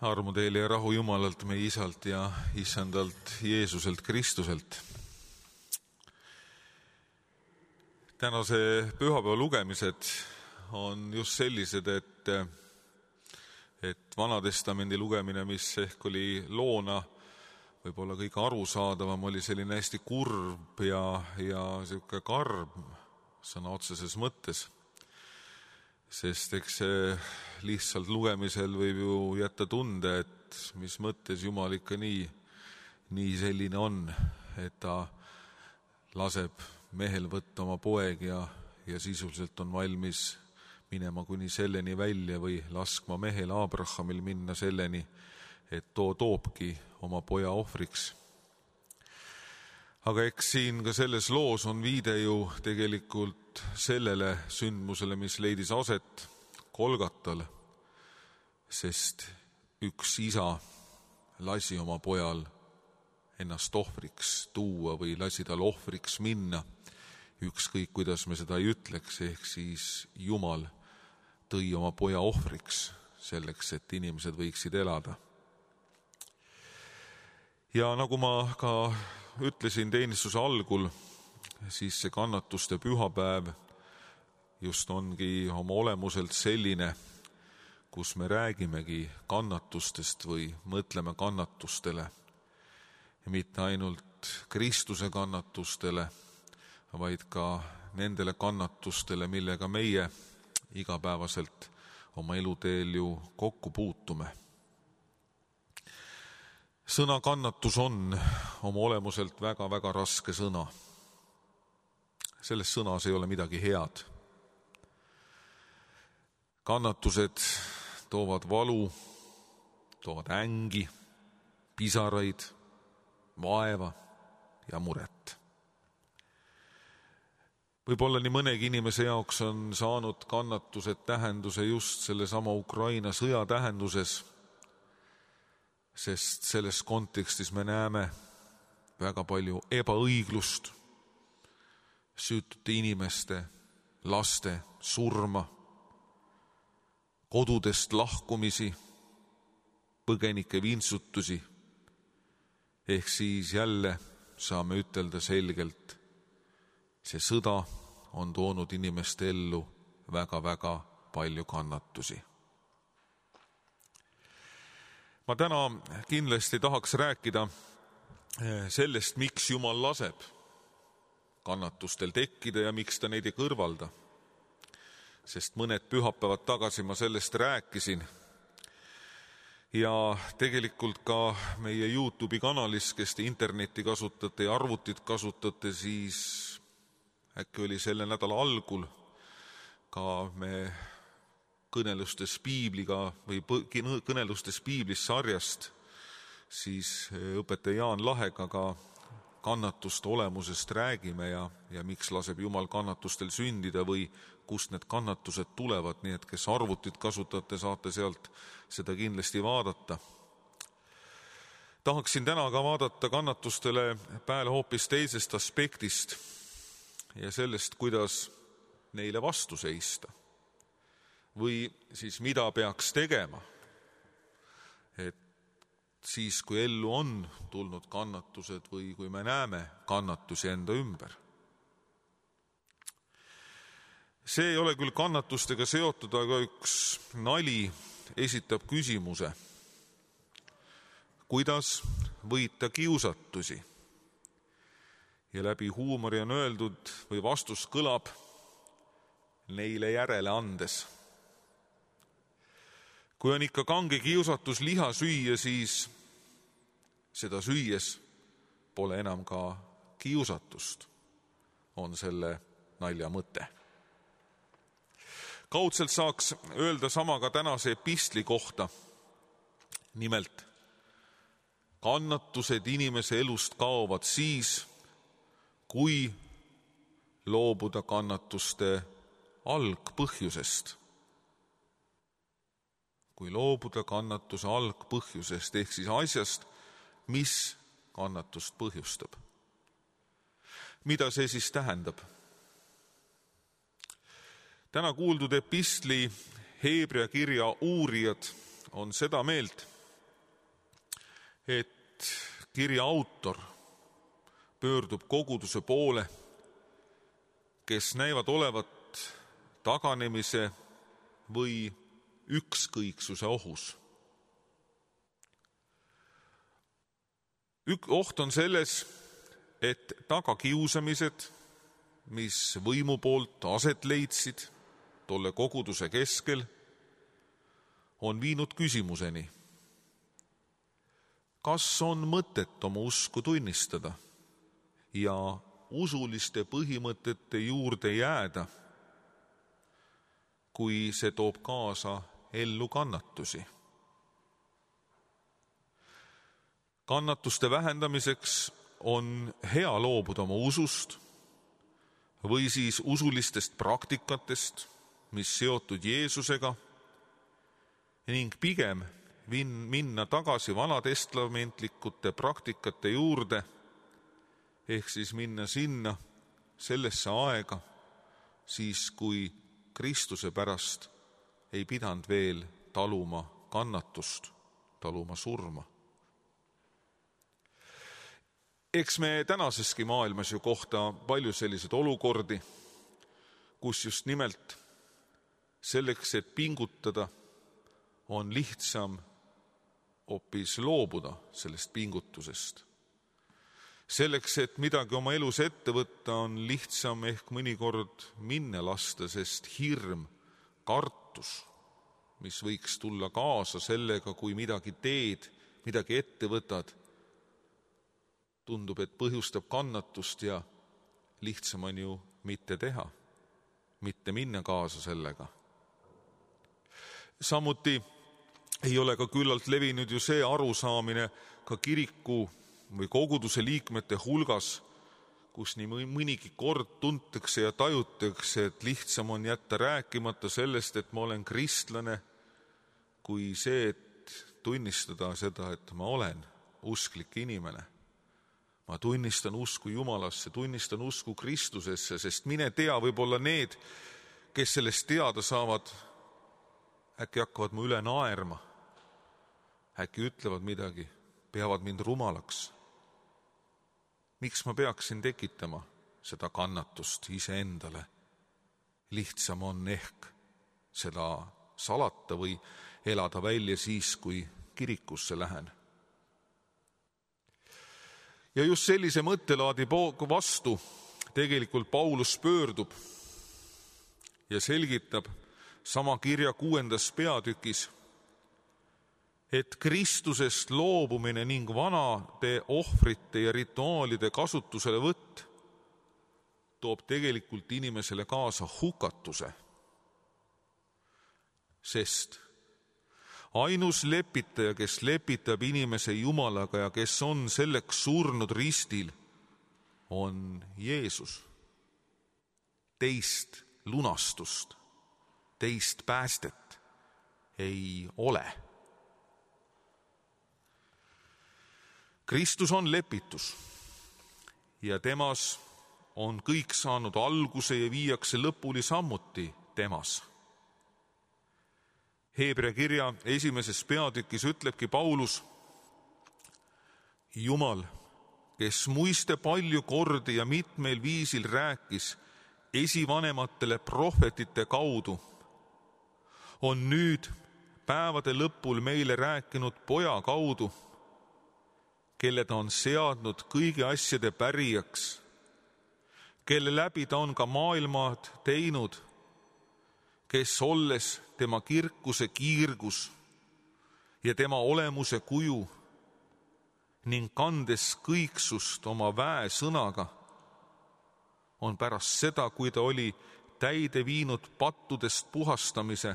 Armu teile ja rahu Jumalalt, meie Isalt ja Issandalt Jeesuselt Kristuselt. Tänase pühapäeva lugemised on just sellised, et Vanatestamendi lugemine, mis ehk oli loona võib-olla kõige arusaadavam, oli selline hästi kurb ja selline karm sõna otseses mõttes. Sest eks see lihtsalt lugemisel võib ju jätta tunde, et mis mõttes Jumal ikka nii selline on, et ta laseb mehel võtta oma poeg ja sisuliselt on valmis minema kuni selleni välja või laskma mehel Abrahamil minna selleni, et toobki oma poja ohvriks. Aga eks siin ka selles loos on viide ju tegelikult sellele sündmusele, mis leidis aset Golgatal, sest üks isa lasi oma pojal ennast ohvriks tuua või lasi tal ohvriks minna, ükskõik kuidas me seda ei ütleks, ehk siis Jumal tõi oma poja ohvriks selleks, et inimesed võiksid elada. Ja nagu ma ka ütlesin teenistuse algul, siis see kannatuste pühapäev just ongi oma olemuselt selline, kus me räägimegi kannatustest või mõtleme kannatustele. Ja mitte ainult Kristuse kannatustele, vaid ka nendele kannatustele, millega meie igapäevaselt oma eluteel ju kokku puutume. Sõna kannatus on oma olemuselt väga raske sõna. Selles sõnas ei ole midagi head. Kannatused toovad valu, toovad ängi, pisaraid, vaeva ja muret. Võib-olla nii mõnegi inimese jaoks on saanud kannatused tähenduse just sellesama Ukraina sõja tähenduses, sest selles kontekstis me näeme väga palju ebaõiglust, süütute inimeste, laste surma, kodudest lahkumisi, põgenike vintsutusi, ehk siis jälle saame ütelda selgelt, see sõda on toonud inimeste ellu väga palju kannatusi. Ma täna kindlasti tahaks rääkida sellest, miks Jumal laseb kannatustel tekkida ja miks ta neid ei kõrvalda. Sest mõned pühapäevad tagasi ma sellest rääkisin. Ja tegelikult ka meie YouTube'i kanalis, kes te internetti kasutate ja arvutit kasutate, siis äkki oli selle nädala algul ka me kõnelustes Piibliga või kõnelustes Piiblis sarjast, siis õpetaja Jaan Lahega ka kannatuste olemusest räägime ja miks laseb Jumal kannatustel sündida või kust need kannatused tulevad, nii et kes arvutit kasutate, saate sealt seda kindlasti vaadata. Tahaksin täna ka vaadata kannatustele pääle hoopis teisest aspektist ja sellest, kuidas neile vastu seista. Või siis mida peaks tegema, et siis, kui ellu on tulnud kannatused või kui me näeme kannatusi enda ümber. See ei ole küll kannatustega seotud, aga üks nali esitab küsimuse, kuidas võita kiusatusi. Ja läbi huumori on öeldud või vastus kõlab neile järele andes. Kui on ikka kange kiusatus liha süüa, siis seda süües pole enam ka kiusatust, on selle nalja mõte. Kaudselt saaks öelda sama ka tänase epistli kohta. Nimelt, kannatused inimese elust kaovad siis, kui loobuda kannatuste algpõhjusest. Kui loobuda kannatuse algpõhjusest, ehk siis asjast, mis kannatust põhjustab. Mida see siis tähendab? Täna kuuldud epistli Heebrea kirja uurijad on seda meelt, et kirja autor pöördub koguduse poole, kes näivad olevat taganemise või ükskõiksuse ohus. Oht on selles, et tagakiusamised, mis võimu poolt aset leidsid tolle koguduse keskel, on viinud küsimuseni, kas on mõtet oma usku tunnistada ja usuliste põhimõtete juurde jääda, kui see toob kaasa ellu kannatusi. Kannatuste vähendamiseks on hea loobuda oma usust või siis usulistest praktikatest, mis seotud Jeesusega, ning pigem minna tagasi vanatestamentlikute praktikate juurde, ehk siis minna sinna sellesse aega, siis kui Kristuse pärast ei pidanud veel taluma kannatust, taluma surma. Eks me tänaseski maailmas ju kohta palju selliseid olukordi, kus just nimelt selleks, et pingutada, on lihtsam hoopis loobuda sellest pingutusest. Selleks, et midagi oma elus ette võtta, on lihtsam ehk mõnikord minna lasta, sest hirm, kartus, mis võiks tulla kaasa sellega, kui midagi teed, midagi ette võtad, tundub, et põhjustab kannatust ja lihtsam on ju mitte teha, mitte minna kaasa sellega. Samuti ei ole ka küllalt levinud ju see arusaamine ka kiriku või koguduse liikmete hulgas, kus nii mõnigi kord tuntakse ja tajutakse, et lihtsam on jätta rääkimata sellest, et ma olen kristlane, kui see, et tunnistada seda, et ma olen usklik inimene. Ma tunnistan usku Jumalasse, tunnistan usku Kristusesse, sest mine tea, võib-olla need, kes sellest teada saavad, äkki hakkavad mu üle naerma, äkki ütlevad midagi, peavad mind rumalaks. Miks ma peaksin tekitama seda kannatust iseendale? Lihtsam on ehk seda salata või elada välja siis, kui kirikusse lähen. Ja just sellise mõttelaadi vastu tegelikult Paulus pöördub ja selgitab sama kirja 6. peatükis, et Kristusest loobumine ning vanade ohvrite ja rituaalide kasutuselevõtt toob tegelikult inimesele kaasa hukatuse, sest ainus lepitaja, kes lepitab inimese Jumalaga ja kes on selleks surnud ristil, on Jeesus. Teist lunastust, teist päästet ei ole. Kristus on lepitus ja temas on kõik saanud alguse ja viiakse lõpuni samuti temas. Heebrea kirja 1. peatükis ütlebki Paulus, Jumal, kes muiste palju kordi ja mitmel viisil rääkis esivanematele prohvetite kaudu, on nüüd päevade lõpul meile rääkinud poja kaudu, kelle ta on seadnud kõigi asjade pärijaks, kelle läbi ta on ka maailmad teinud, kes olles tema kirkuse kiirgus ja tema olemuse kuju ning kandes kõiksust oma väesõnaga, on pärast seda, kui ta oli täide viinud pattudest puhastamise,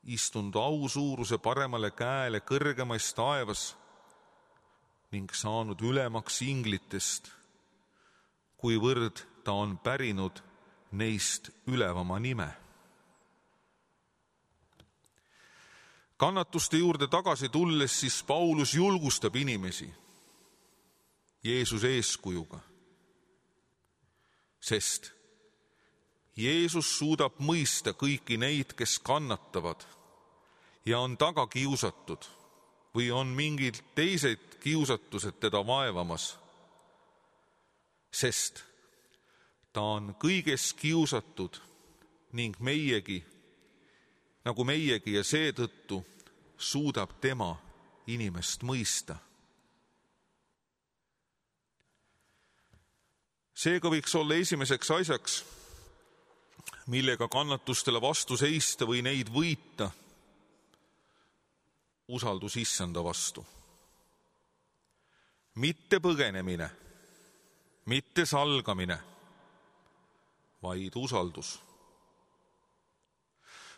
istunud ausuuruse paremale käele kõrgemais taevas ning saanud ülemaks inglitest, kuivõrd ta on pärinud neist ülevama nime. Kannatuste juurde tagasi tulles, siis Paulus julgustab inimesi Jeesuse eeskujuga, sest Jeesus suudab mõista kõiki neid, kes kannatavad ja on taga kiusatud või on mingid teised kiusatused teda vaevamas, sest ta on kõiges kiusatud ning nagu meiegi ja seetõttu suudab tema inimest mõista. Seega võiks olla esimeseks asjaks, millega kannatustele vastu seista või neid võita, usaldus Issanda vastu. Mitte põgenemine, mitte salgamine, vaid usaldus.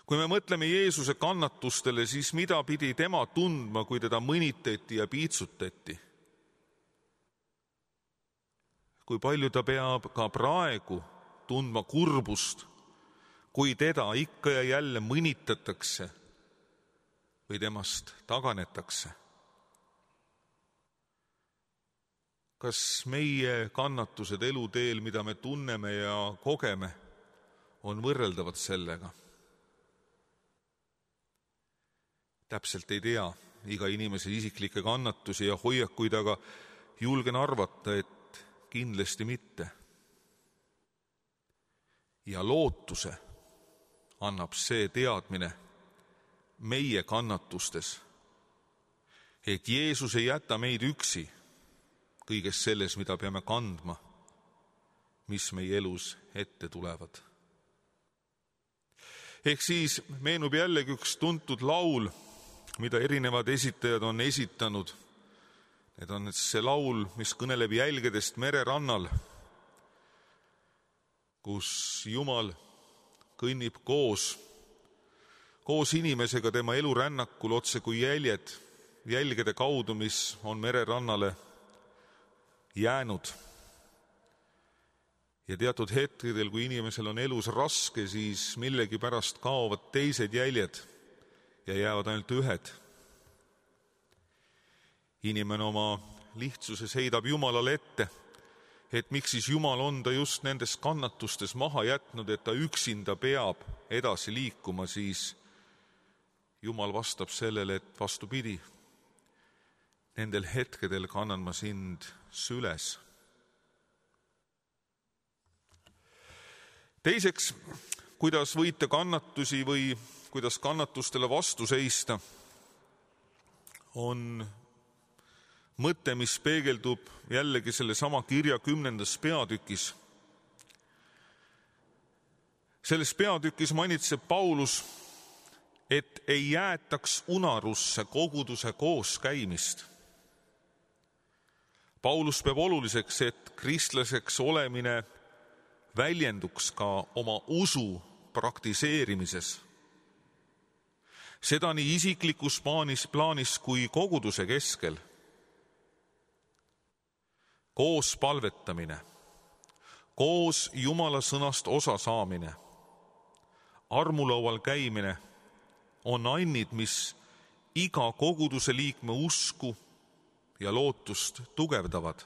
Kui me mõtleme Jeesuse kannatustele, siis mida pidi tema tundma, kui teda mõnitati ja piitsutati? Kui palju ta peab ka praegu tundma kurbust, kui teda ikka ja jälle mõnitatakse või temast taganetakse? Kas meie kannatused eluteel, mida me tunneme ja kogeme, on võrreldavad sellega? Täpselt ei tea iga inimese isiklikke kannatusi ja hoiakuid, aga julgen arvata, et kindlasti mitte. Ja lootuse annab see teadmine meie kannatustes, et Jeesus ei jäta meid üksi kõiges selles, mida peame kandma, mis meie elus ette tulevad. Ehk siis meenub jällegi üks tuntud laul, mida erinevad esitajad on esitanud. Need on see laul, mis kõneleb jälgedest mererannal, kus Jumal kõnnib koos inimesega tema elurännakul otse kui jälgede kaudu, mis on mererannale jäänud. Ja teatud hetkedel, kui inimesel on elus raske, siis millegipärast kaovad teised jäljed ja jäävad ainult ühed. Inimene oma lihtsuses heidab Jumalale ette, et miks siis Jumal on ta just nendes kannatustes maha jätnud, et ta üksinda peab edasi liikuma, siis Jumal vastab sellele, et vastupidi, nendel hetkedel kannan ma sind süles. Teiseks, kuidas võita kannatusi või kuidas kannatustele vastu seista, on mõte, mis peegeldub jällegi sellesama kirja 10. peatükis. Selles peatükis manitseb Paulus, et ei jäetaks unarusse koguduse kooskäimist. Paulus peab oluliseks, et kristlaseks olemine väljenduks ka oma usu praktiseerimises. Seda nii isiklikus plaanis kui koguduse keskel. Koos palvetamine, koos Jumala sõnast osa saamine, armulaual käimine on annid, mis iga koguduse liikme usku ja lootust tugevdavad.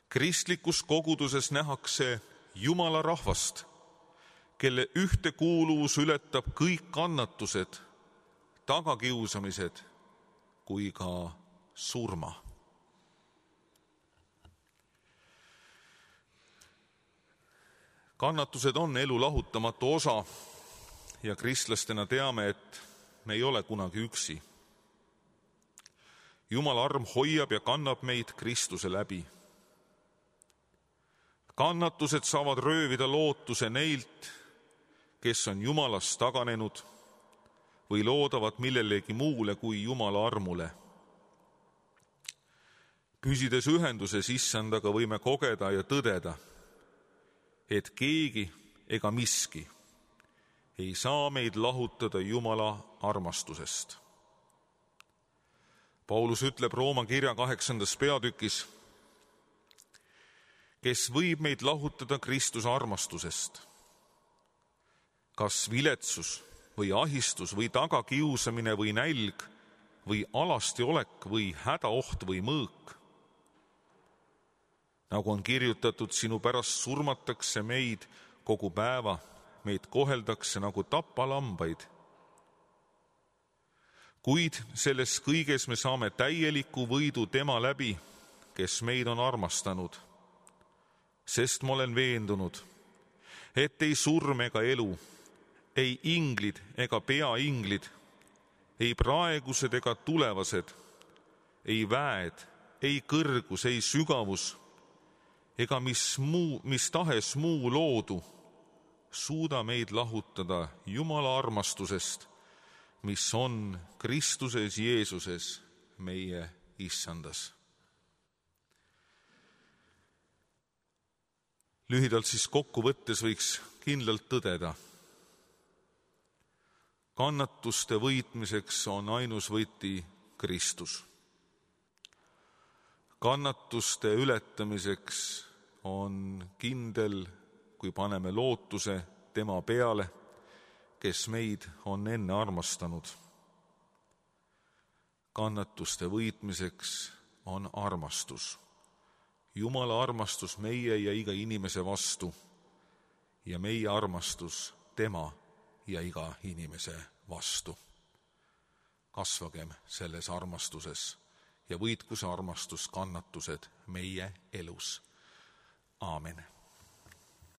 Kristlikus koguduses nähakse Jumala rahvast, kelle ühtekuuluvus ületab kõik kannatused, tagakiusamised kui ka surma. Kannatused on elu lahutamatu osa ja kristlastena teame, et me ei ole kunagi üksi. Jumala arm hoiab ja kannab meid Kristuse läbi. Kannatused saavad röövida lootuse neilt, kes on Jumalast taganenud või loodavad millelegi muule kui Jumala armule. Püsides ühenduses Issandaga võime kogeda ja tõdeda, et keegi ega miski ei saa meid lahutada Jumala armastusest. Paulus ütleb Rooma kirja 8. peatükis, kes võib meid lahutada Kristuse armastusest. Kas viletsus või ahistus või tagakiusamine või nälg või alastiolek või hädaoht või mõõk. Nagu on kirjutatud, sinu pärast surmatakse meid kogu päeva, meid koheldakse nagu tapalambaid. Kuid selles kõiges me saame täieliku võidu tema läbi, kes meid on armastanud. Sest ma olen veendunud, et ei surm ega elu, ei inglid ega peainglid, ei praegused ega tulevased, ei väed, ei kõrgus, ei sügavus, ega mis tahes muu loodu suuda meid lahutada Jumala armastusest, mis on Kristuses Jeesuses, meie Issandas. Lühidalt siis kokkuvõttes võiks kindlalt tõdeda. Kannatuste võitmiseks on ainus võti Kristus. Kannatuste ületamiseks on kindel, kui paneme lootuse tema peale, kes meid on enne armastanud. Kannatuste võitmiseks on armastus. Jumala armastus meie ja iga inimese vastu ja meie armastus tema ja iga inimese vastu. Kasvagem selles armastuses ja võitku see armastus kannatused meie elus. Aamen.